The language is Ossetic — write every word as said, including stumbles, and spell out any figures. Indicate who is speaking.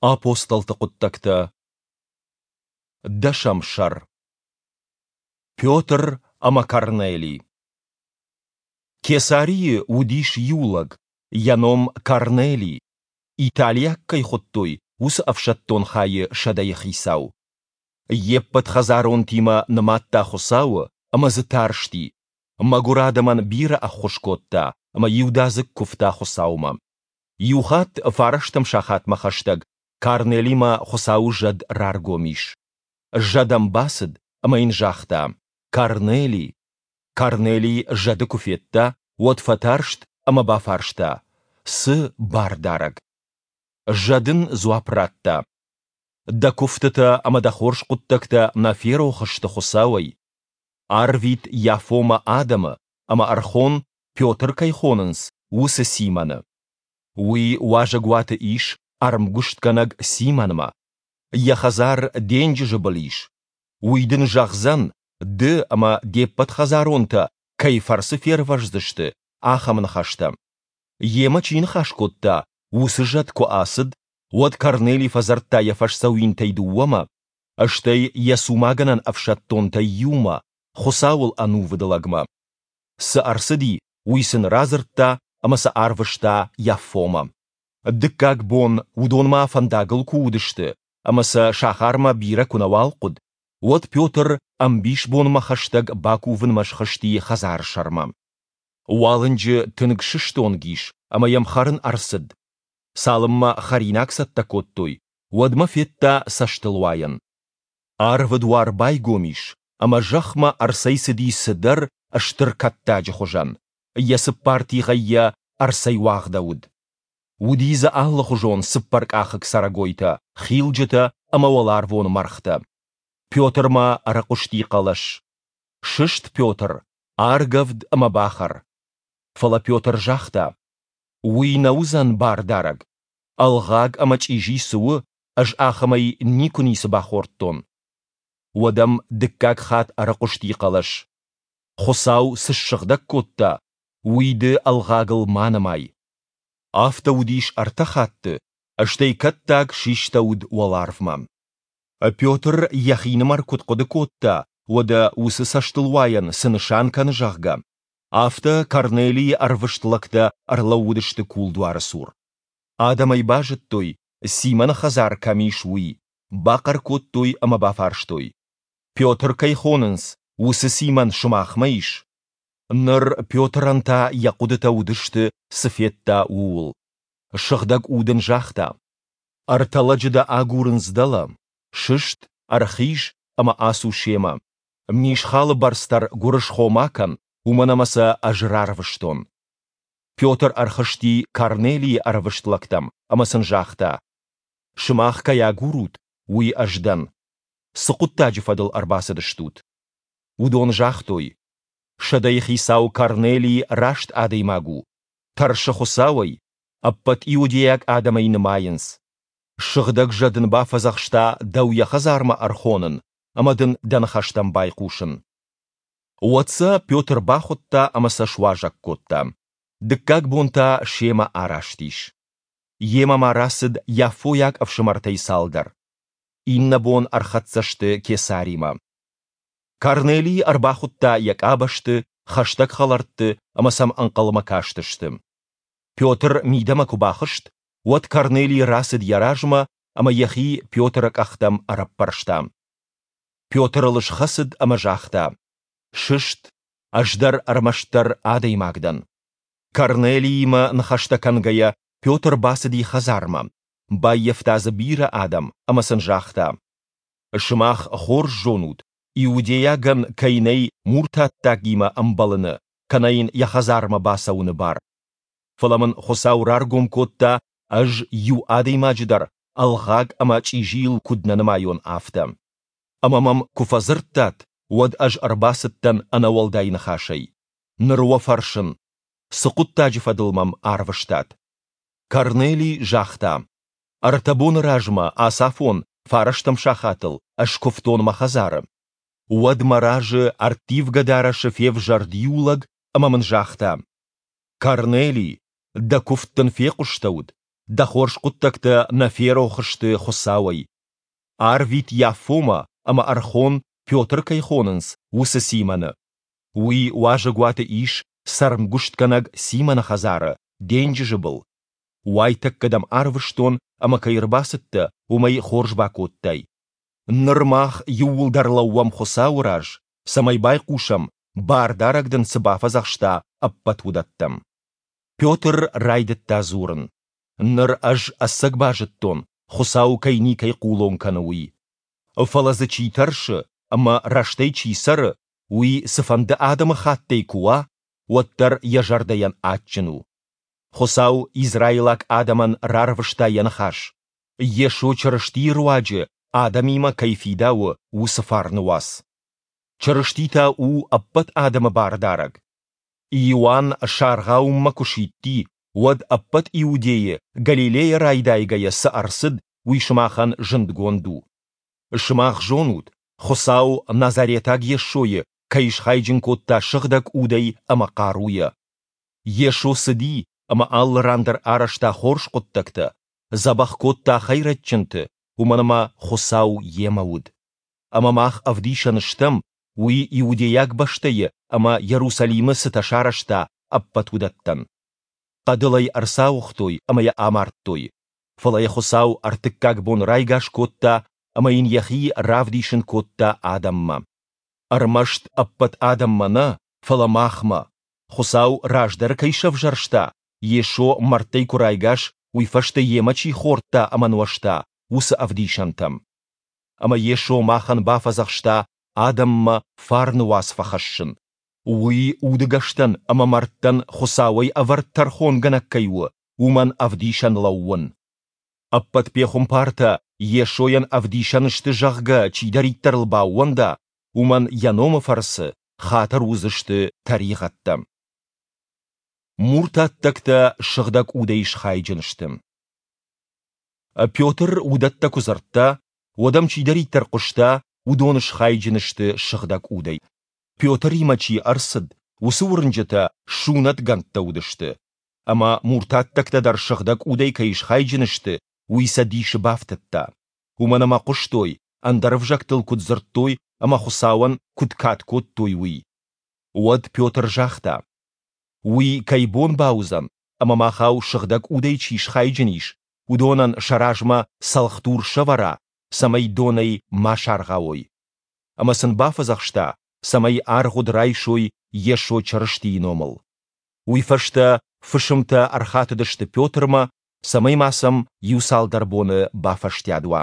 Speaker 1: Апостолты хъуыддӕгтӕ, дӕсӕм сӕр. Петр ӕмӕ Корнелий. Кесарийы уыдис иу лӕг, йӕ ном Корнелий, италиаг кӕй хуыдтой, уыцы ӕфсӕддон хайы сӕдӕйы хицау. Йе ппӕт хӕдзаронтимӕ нымадта Хуыцауы ӕмӕ дзы тарсти, мӕгуыр адӕмӕн бирӕ ӕххуыс кодта ӕмӕ иудадзыг куывта Хуыцаумӕ. Иухатт фарӕстӕм сахатмӕ хӕстӕг Корнелимӕ Хуыцауы зӕд раргом ис. Зӕд ӕм бацыд ӕмӕ йын загъта: «Корнелий!» Корнелий зӕды куы федта, уӕд фӕтарст ӕмӕ бафарста: «Цы, Бардарӕг?» Зӕд ын дзуапп радта: «Дӕ куывтытӕ ӕмӕ дӕ хорз хъуыддӕгтӕ нӕ ферох сты Хуыцауӕй. Арвит Яффомӕ адӕмы ӕмӕ ӕрхон, Петр кӕй хонынц, уыцы Симоны. Уый уазӕгуаты ис ӕрмгуыстгӕнӕг Симонмӕ. Йӕ хӕдзар денджызы был ис. Уый дын зӕгъдзӕн, ды ӕмӕ де ппӕт хӕдзаронтӕ кӕй фӕрцы фервӕздзысты, ахӕм ныхӕстӕ. Йемӕ чи ныхас кодта, уыцы зӕд куы ацыд, уӕд Корнелий фӕдзырдта йӕ фӕсдзӕуинтӕй дыууӕмӕ, стӕй йӕ цумагӕнӕн ӕфсӕддонтӕй иумӕ, Хуыцауыл ӕнувыд лӕгмӕ. Цы ӕрцыди, уый сын радзырдта ӕмӕ сӕ арвыста Яффомӕ. Дыккаг бон уыдон ма фӕндагыл куы уыдысты ӕмӕ сӕ сахармӕ бирӕ куы нӕуал хъуыд, уӕд Петр ӕмбисбонмӕ хӕстӕг бакувынмӕ схызти хӕдзары сӕрмӕ. Уалынджы тынг сыстонг ис ӕмӕ йӕм хӕрын ӕрцыд. Цалынмӕ хӕринаг цӕттӕ кодтой, уӕдмӕ федта цӕстылуайӕн. Арвы дуар байгом ис, ӕмӕ зӕхмӕ ӕрцӕйцыди цыдӕр стыр кӕттаджы хуызӕн, йӕ цыппар тигъӕй йӕ ӕрцӕйуагъдӕуыд. Уыди дзы алыхуызон цыппӕркъахыг цӕрӕгойтӕ, хилджытӕ ӕмӕ уӕларвон мӕргътӕ. Петрмӕ ӕрыхъуысти хъӕлӕс: «Сыст, Петр, аргӕвд ӕмӕ бахӕр». Фӕлӕ Петр загъта: «Уый нӕ уыдзӕн Бардарӕг. Ӕлгъаг ӕмӕ чъизи цы у, ӕз ахӕмӕй никуы ницы бахордтон». Уӕд ӕм дыккаг хатт ӕрыхъуысти хъӕлӕс: «Хуыцау цы ссыгъдӕг кодта, уый ды ӕлгъагыл ма нымай». Афтӕ уыдис ӕртӕ хатты, стӕй кӕттаг систӕуыд уӕларвмӕ. Петр йӕхинымӕр куыд хъуыды кодта, уӕдӕ уыцы цӕстылуайӕн цы нысан кӕны, зӕгъгӕ, афтӕ Корнелийы ӕрвыст лӕгтӕ ӕрлӕууыдысты кулдуары цур. Адӕм ӕй базыдтой, Симоны хӕдзар кӕм ис, уый, бахъӕр кодтой ӕмӕ бафарстой: «Петр кӕй хонынц, уыцы Симон сымахмӕ ис?» Ныр Петрӕн та йӕ хъуыдытӕ уыдысты, цы федта, ууыл. Сыгъдӕг Уд ын загъта: «Ӕртӕ лӕджы дӕ агурынц дӕлӕ. Сыст, ӕрхиз ӕмӕ ацу семӕ. Мисхалы бӕрц дӕр гуырысхо ма кӕн, уымӕн ӕмӕ сӕ ӕз рарвыстон». Петр ӕрхызти Корнелийы ӕрвыст лӕгтӕм ӕмӕ сын загъта: «Сымах кӕй агурут, уый ӕз дӕн. Цы хъуыддаджы фӕдыл ӕрбацыдыстут?» Уыдон загътой: «Сӕдӕйы хицау Корнелий раст адӕймаг у, тӕрсы Хуыцауӕй, ӕппӕт иудейаг адӕм ӕй нымайынц. Сыгъдӕг зӕд ын бафӕдзӕхста дӕу йӕ хӕдзармӕ ӕрхонын ӕмӕ дын дӕ ныхӕстӕм байхъусын». Уӕд сӕ Петр бахуыдта ӕмӕ сӕ суазӕг кодта. Дыккаг бон та семӕ араст ис. Йемӕ ма рацыд яффойаг ӕфсымӕртӕй цалдӕр. Иннӕ бон ӕрхӕццӕ сты Кесаримӕ. Корнелий ӕрбахуыдта йӕ къабӕзты, хӕстӕг хӕлӕртты ӕмӕ сӕм ӕнхъӕлмӕ кастысты. Петр мидӕмӕ куы бахызт, уӕд Корнелий рацыд йӕ размӕ ӕмӕ йӕхи Петры къӕхтӕм ӕрӕппӕрста. Петр ыл схӕцыд ӕмӕ загъта: «Сыст, ӕз дӕр ӕрмӕстдӕр адӕймаг дӕн». Корнелиимӕ ныхӕстӕ кӕнгӕйӕ, Петр бацыди хӕдзармӕ, баййӕфта дзы бирӕ адӕм ӕмӕ сын загъта: «Сымах хорз зонут, иудейагӕн кӕй нӕй муртаттагимӕ ӕмбӕлыны кӕнӕ йын йӕ хӕдзармӕ бацӕуыны бар. Фӕлӕ мын Хуыцау раргом кодта, ӕз иу адӕймаджы дӕр ӕлгъаг ӕмӕ чъизийыл куыд нӕ нымайон, афтӕ. Ӕмӕ мӕм куы фӕдзырдтат, уӕд ӕз ӕрбацыдтӕн ӕнӕуӕлдай ныхасӕй. Ныр уӕ фӕрсын, цы хъуыддаджы фӕдыл мӕм арвыстат?» Корнелий загъта: «Ӕртӕ боны размӕ ацафон фарӕстӕм сахатыл ӕз куывтон мӕ хӕдзары. Уӕд мӕ разы ӕрттивгӕ дарӕсы февзӕрд иу лӕг ӕмӕ мын загъта: «Корнелий, дӕ куывд дын фехъуыстӕуыд, Дӕ хорз хъуыддӕгтӕ нӕ ферох сты Хуыцауӕй. Арвит Яффомӕ ӕмӕ ӕрхон, Петр кӕй хонынц, уыцы Симоны. Уый уазӕгуаты ис цӕрмгуыстгӕнӕг Симоны хӕдзары, денджызы был. Уайтӕккӕ дӕм арвыстон, ӕмӕ кӕй ӕрбацыдтӕ, уымӕй хорз бакодтай. Ныр мах иууылдӕр лӕууӕм Хуыцауы раз, цӕмӕй байхъусӕм, Бардарӕг дын цы бафӕдзӕхста, ӕппӕт уыдӕттӕм. Петр райдыдта дзурын: Ныр ӕз ӕцӕг базыдтон, Хуыцау кӕй никӕй хъулон кӕны, уый. Фӕлӕ дзы чи тӕрсы ӕмӕ рӕстӕй чи цӕры, уый цыфӕнды адӕмыхаттӕй куы уа, уӕддӕр йӕ зӕрдӕйӕн адджын у. Хуыцау израилаг адӕмӕн рарвыста йӕ ныхас, Йесо Чырыстийы руаджы адӕмимӕ кӕй фидауы, уыцы фарны уац. Чырысти та у ӕппӕт адӕмы Бардарӕг. Иоанн саргъауынмӕ куы сидти, уӕд ӕппӕт Иудейы Галилейӕ райдайгӕйӕ цы ӕрцыд, уый сымахӕн зындгонд у. Сымах зонут, Хуыцау Назаретаг Йесойы кӕй схайджын кодта Сыгъдӕг Удӕй ӕмӕ хъаруйӕ. Йесо цыди ӕмӕ алы ран дӕр арӕзта хорз хъуыддӕгтӕ, дзӕбӕх кодта хӕйрӕджджынты, уымӕн ӕмӕ Хуыцау йемӕ уыд. Ӕмӕ мах ӕвдисӕн стӕм, уый иудейаг бӕстӕйы ӕмӕ Иерусалимы цытӕ сарӕзта, ӕппӕт уыдӕттӕн. Хъӕдыл ӕй ӕрцауыгътой ӕмӕ йӕ амардтой. Фӕлӕ йӕ Хуыцау ӕртыккаг бон райгас кодта ӕмӕ йын йӕхи равдисын кодта адӕммӕ. Ӕрмӕст ӕппӕт адӕммӕ нӕ, фӕлӕ махмӕ, Хуыцау раздӕр кӕй сӕвзӕрста, Йесо мӕрдтӕй куы райгас, уый фӕстӕ йемӕ чи хордта ӕмӕ нуӕзта, уыцы ӕвдисӕнтӕм. Ӕмӕ Йесо махӕн бафӕдзӕхста адӕммӕ фарны уац фӕхӕссын, уый удыгӕстӕн ӕмӕ мӕрдтӕн Хуыцауӕй ӕвӕрд тӕрхонгӕнӕг кӕй у, уымӕн ӕвдисӕн лӕууын. Ӕппӕт пехуымпартӕ Йесойӕн ӕвдисӕн сты, зӕгъгӕ, чидӕриддӕр ыл баууӕнда, уымӕн йӕ номы фӕрцы хатыр уыдзысты тӕригъӕдтӕ. Муртаттӕгтӕ сыгъдӕг удӕй схайджын сты. Петр уыдӕттӕ куы дзырдта, уӕд ӕм чидӕриддӕр хъуыста, уыдон схайджын сты сыгъдӕг удӕй. Петримӕ чи ӕрцыд, уыцы уырнджытӕ сунӕтгӕндтӕ уыдысты. Ӕмӕ муртаттӕгтӕ дӕр сыгъдӕг удӕй кӕй схайджын сты, уый сӕ дисы бафтыдта. Уымӕн ӕмӕ хъуыстой, ӕндӕр ӕвзӕгтыл куыд дзырдтой ӕмӕ Хуыцауӕн куыд кад кодтой, уый. Уӕд Петр загъта: Уый кӕй бон бауыдзӕн, ӕмӕ махау сыгъдӕг удӕй чи схайджын ис, уыдонӕн сӕ размӕ цӕлхдур сӕвӕра, цӕмӕй донӕй ма саргъауой. Ӕмӕ сын бафӕдзӕхста, цӕмӕй аргъуыд райсой Йесо Чырыстийы номыл. Уый фӕстӕ фысымтӕ ӕрхатыдысты Петрмӕ, цӕмӕй ма сӕм иуцалдӕр боны бафӕстиат уа.